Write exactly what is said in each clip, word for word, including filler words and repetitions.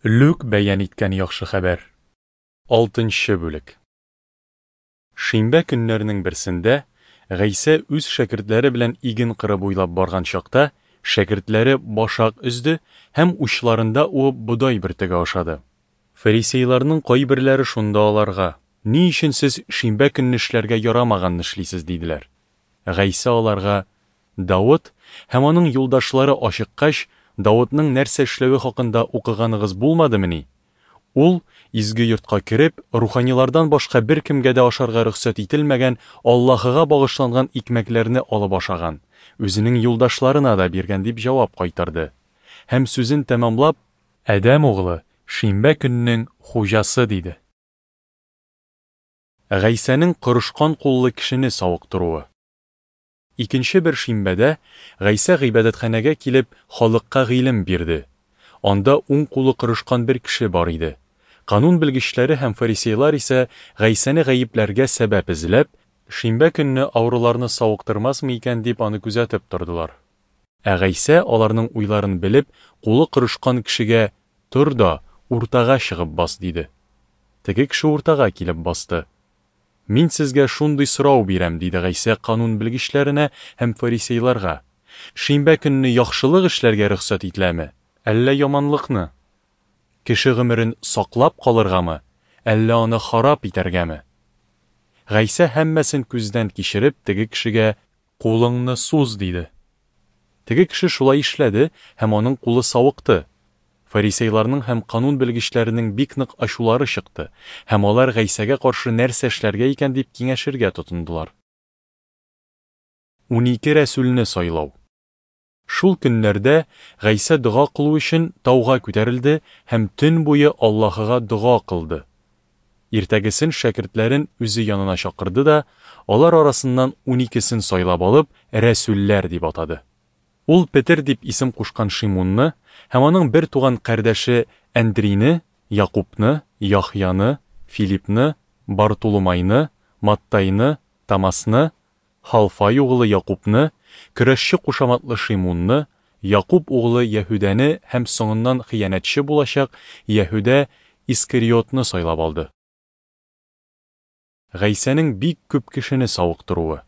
Лүк бәян иткән Яхшы хәбәр. Алтынчы бүлек. Шимбә көннәренең берсендә Гайсә үз шәкертләре белән иген кыры буйлап барган чакта, шәкертләре башак өзде һәм учларында уып бодай бөртеге ашады. Фарисейларның кайберләре шунда аларга: "Ни өчен сез шимбә көнне эшләргә ярамаганны эшлисез?" – диделәр. Гайсә аларга: "Давыт һәм аның юлдашлары ачыккач, Давытның нәрсә эшләве хакында укыганыгыз булмадымыни? Ул, изге йортка кереп, руханилардан башка беркемгә дә ашарга рөхсәт ителмәгән Аллаһыга багышланган икмәкләрне алып ашаган, үзенең юлдашларына да биргән", – дип җавап кайтарды. Һәм сүзен тәмамлап: "Адәм углы шимбә көннең хуҗасы", – диде. Гайсәнең корышкан куллы кешене савыктыруы. Икенче бер шимбәдә Гайсә гыйбадәтханәгә килеп, халыкка гыйлем бирде. Анда уң кулы корышкан бер кеше бар иде. Канун белгечләре һәм фарисейлар исә Гайсәне гаепләргә сәбәп эзләп, шимбә көнне авыруларны савыктырмасмы икән дип аны күзәтеп тордылар. Ә Гайсә, аларның уйларын белеп, кулы корышкан кешегә: "Тор да, уртага чыгып бас", – диде. Теге кеше уртага килеп басты. "Мин сезгә шундый сорау бирәм", – диде Гайсә канун белгечләренә һәм фарисейларга. "Шимбә көнне яхшылык эшләргә рөхсәт ителәме, әллә яманлыкны? Кеше гомерен саклап калыргамы, әллә аны харап итәргәме?" Гайсә һәммәсен күздән кичереп, теге кешегә: "Кулыңны суз", – диде. Теге кеше шулай эшләде, һәм аның кулы савыкты. Фарисейларның һәм канун белгечләренең бик нык ачулары чыкты, һәм алар Гайсәгә каршы нәрсә эшләргә икән дип киңәшергә тотындылар. Унике рәсүлне сайлау. Шул көннәрдә Гайсә дога кылу өчен тауга күтәрелде һәм төн буе Аллаһыга дога кылды. Иртәгесен шәкертләрен үзе янына чакырды да, алар арасыннан уникесен сайлап алып, рәсүлләр дип атады. Ул Петер дип исем кушкан Шимунны һәм аның бер туган кардәше Әндрийне, Якубны, Яхъяны, Филиппны, Бартоломайны, Маттайны, Томасны, Халфай углы Якубны, көрәшче кушаматлы Шимунны, Якуб углы Яһүдәне һәм соңыннан хыянәтче булачак Яһүдә Искариотны сайлап алды. Гайсәнең бик күп кешене савыктыруы.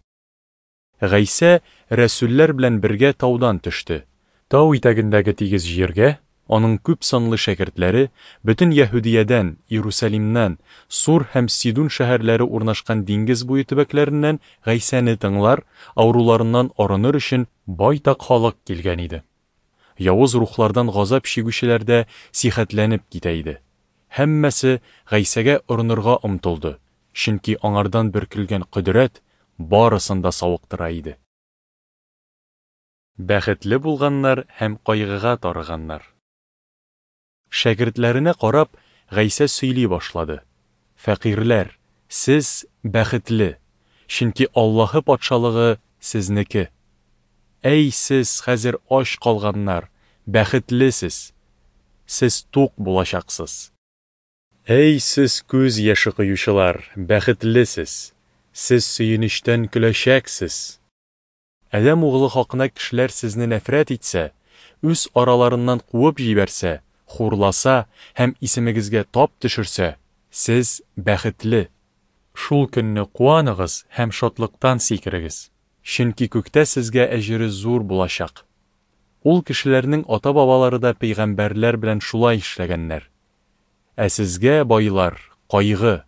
Гайсә рәсүлләр белән бергә таудан төште. Тау итәгендәге тигез җиргә аның күп санлы шәкертләре бөтен Яһүдиядән, Иерусалимнан, Сур һәм Сидун шәһәрләре урнашкан диңгез буе төбәкләреннән Гайсәне тыңлар, авыруларыннан арыныр өчен байтак халык килгән иде. Явыз рухлардан газап чигүчеләр дә сихәтләнеп китә иде. Һәммәсе Гайсәгә орынырга омтылды, чөнки аңардан бөркелгән кодрәт барысын да савыктыра иде. Бәхетле булганнар һәм кайгыга тарыганнар. Шәкертләренә карап, Гайсә сөйли башлады: "Фәкыйрьләр, сез бәхетле, чөнки Аллаһы патшалыгы сезнеке. Әй сез хәзер ач калганнар, бәхетлесез, сез тук булачаксыз. Әй сез күз яше коючылар, бәхетлесез, сез сөенечтән көләчәксез. Адәм углы хакына кешеләр сезне нәфрәт итсә, үз араларыннан куып җибәрсә, хурласа һәм исемегезгә тап төшерсә, сез бәхетле. Шул көнне куаныгыз һәм шатлыктан сикерегез, чөнки күктә сезгә әҗере зур булачак. Ул кешеләрнең ата-бабалары да пәйгамбәрләр белән шулай эшләгәннәр. Ә сезгә, байлар, кайгы!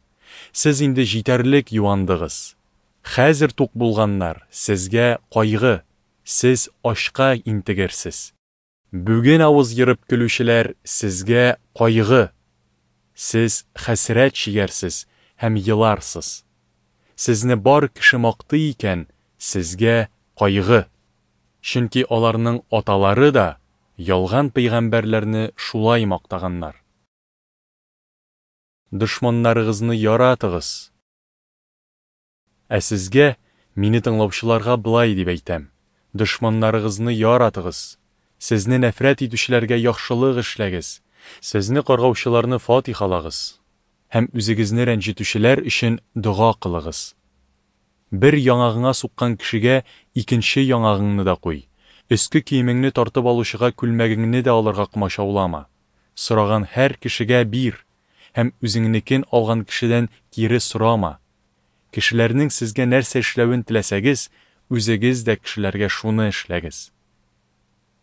Сез инде җитәрлек юандыгыз. Хәзер тук булганнар, сезгә кайгы! Сез ачка интегерсез. Бүген авыз ерып көлүчеләр, сезгә кайгы! Сез хәсрәт чигәрсез һәм еларсыз. Сезне бар кеше мактый икән, сезгә кайгы! Чөнки аларның аталары да ялган пәйгамбәрләрне шулай мактаганнар. Дошманнарыгызны яратыгыз. Ә сезгә, мине тыңлаучыларга былай дип әйтәм: дошманнарыгызны яратыгыз, сезне нәфрәт итүчеләргә яхшылык эшләгез, сезне каргаучыларны фатихалагыз һәм үзегезне рәнҗетүчеләр өчен дога кылыгыз. Бер яңагыңа суккан кешегә икенче яңагыңны да куй. Өске киемеңне тартып алучыга күлмәгеңне дә алырга комачаулама. Сораган һәр кешегә бир, һәм үзеңнекен алган кешедән кире сорама. Кешеләрнең сезгә нәрсә эшләвен теләсәгез, үзегез дә кешеләргә шуны эшләгез.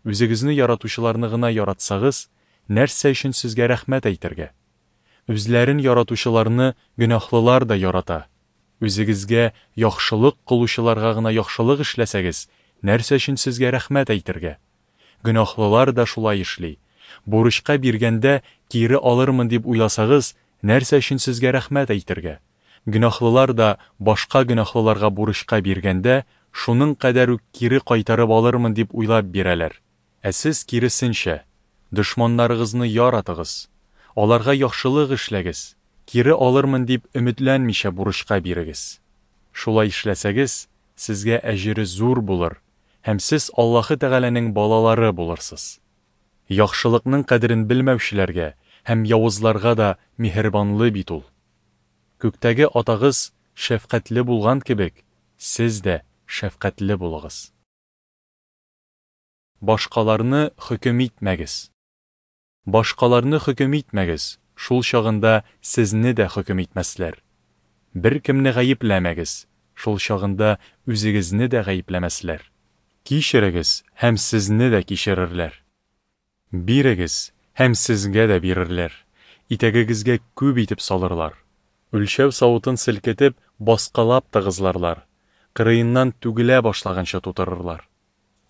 Үзегезне яратучыларны гына яратсагыз, нәрсә өчен сезгә рәхмәт әйтергә? Үзләрен яратучыларны гөнаһлылар да ярата. Үзегезгә яхшылык кылучыларга гына яхшылык эшләсәгез, нәрсә өчен сезгә рәхмәт әйтергә? Гөнаһлылар да шулай эшли. Бурычка биргәндә кире алырмын дип уйласагыз, нәрсә өчен сезгә рәхмәт әйтергә? Гөнаһлылар да башка гөнаһлыларга бурычка биргәндә, шуның кадәр үк кире кайтарып алырмын дип уйлап бирәләр. Ә сез киресенчә, дошманнарыгызны яратыгыз, аларга яхшылык эшләгез, кире алырмын дип өметләнмичә бурычка бирегез. Шулай эшләсәгез, сезгә әҗере зур булыр, һәм сез Аллаһы Тәгаләнең балалары булырсыз. Яхшылыкның кадерен белмәүчеләргә һәм явызларга да миһербанлы бит ул. Күктәге Атагыз шәфкатьле булган кебек, сез дә шәфкатьле булыгыз. Башкаларны хөкем итмәгез. Башкаларны хөкем итмәгез, шул чагында сезне дә хөкем итмәсләр. Беркемне гаепләмәгез, шул чагында үзегезне дә гаепләмәсләр. Кичерегез, һәм сезне дә кичерерләр. Бирегез, һәм сезгә дә бирерләр. Итәгегезгә күп итеп салырлар. Үлчәү савытын селкетеп, баскалап тыгызларлар. Кырыеннан түгелә башлаганча тутырырлар.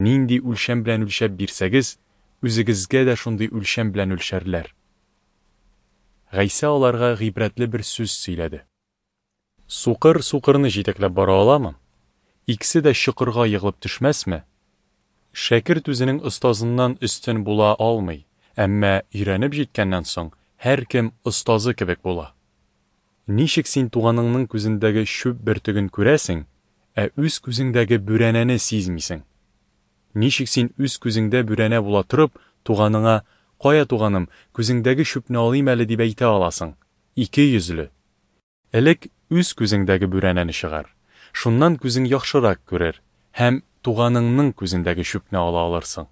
Нинди үлчәм белән үлчәп бирсәгез, үзегезгә дә шундый үлчәм белән үлчәрләр. Гайсә аларга гыйбрәтле бер сүз сөйләде. Сукыр сукырны җитәкләп бара аламы? Икесе дә чокырга егылып төшмәсме? Шәкерт үзенең остазыннан өстен була алмый, әмма өйрәнеп җиткәннән соң һәркем остазы кебек була. Ничек син туганыңның күзендәге чүп бөртеген күрәсең, ә үз күзеңдәге бүрәнәне сизмисең? Ничек син үз күзеңдә бүрәнә була торып, туганыңа: "Кая, туганым, күзеңдәге чүпне алыйм әле" дип әйтә аласың? Ике йөзле. Элек үз күзеңдәге бүрәнәне чыгар. Шуннан күзең яхшырак күрер һәм туганыңның күзендәге чүпне ала алырсың.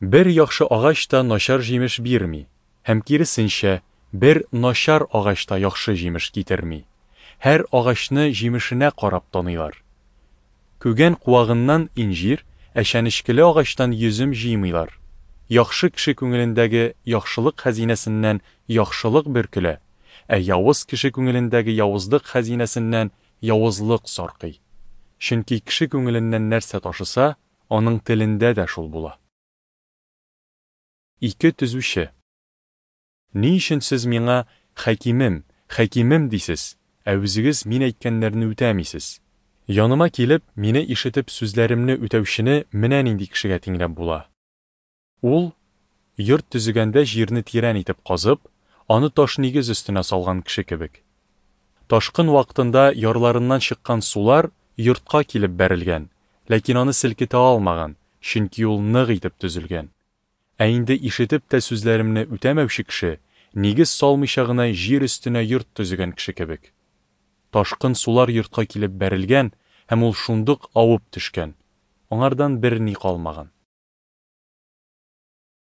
Бер яхшы агач та начар җимеш бирми, һәм киресенчә, бер начар агач та яхшы җимеш китерми. Һәр агачны җимешенә карап таныйлар. Күгән куагыннан инҗир, ә чәнечкеле агачтан йөзем җыймыйлар. Яхшы кеше күңелендәге яхшылык хәзинәсеннән яхшылык бөркелә, ә явыз кеше күңелендәге явызлык хәзинәсеннән явызлык саркый. Чөнки кеше күңеленнән нәрсә ташыса, аның телендә дә шул була. Ике төзүче. Ни өчен сез миңа "Хәкимем, хәкимем" дисез, ә үзегез мин әйткәннәрне үтәмисез? Яныма килеп, мине ишетеп сүзләремне үтәүчене менә нинди кешегә тиңләп була. Ул, йорт төзегәндә җирне тирән итеп казып, аны таш нигез өстенә салган кеше кебек. Ташкын вакытында ярларыннан чыккан сулар йортка килеп бәрелгән, ләкин аны селкетә алмаган, чөнки ул нык итеп төзелгән. Ә инде ишетеп тә сүзләремне үтәмәүче кеше, нигез салмыйча гына җир өстенә йорт төзегән кеше кебек. Ташкын сулар йортка килеп бәрелгән, һәм ул шундук авып төшкән. Аңардан берни калмаган.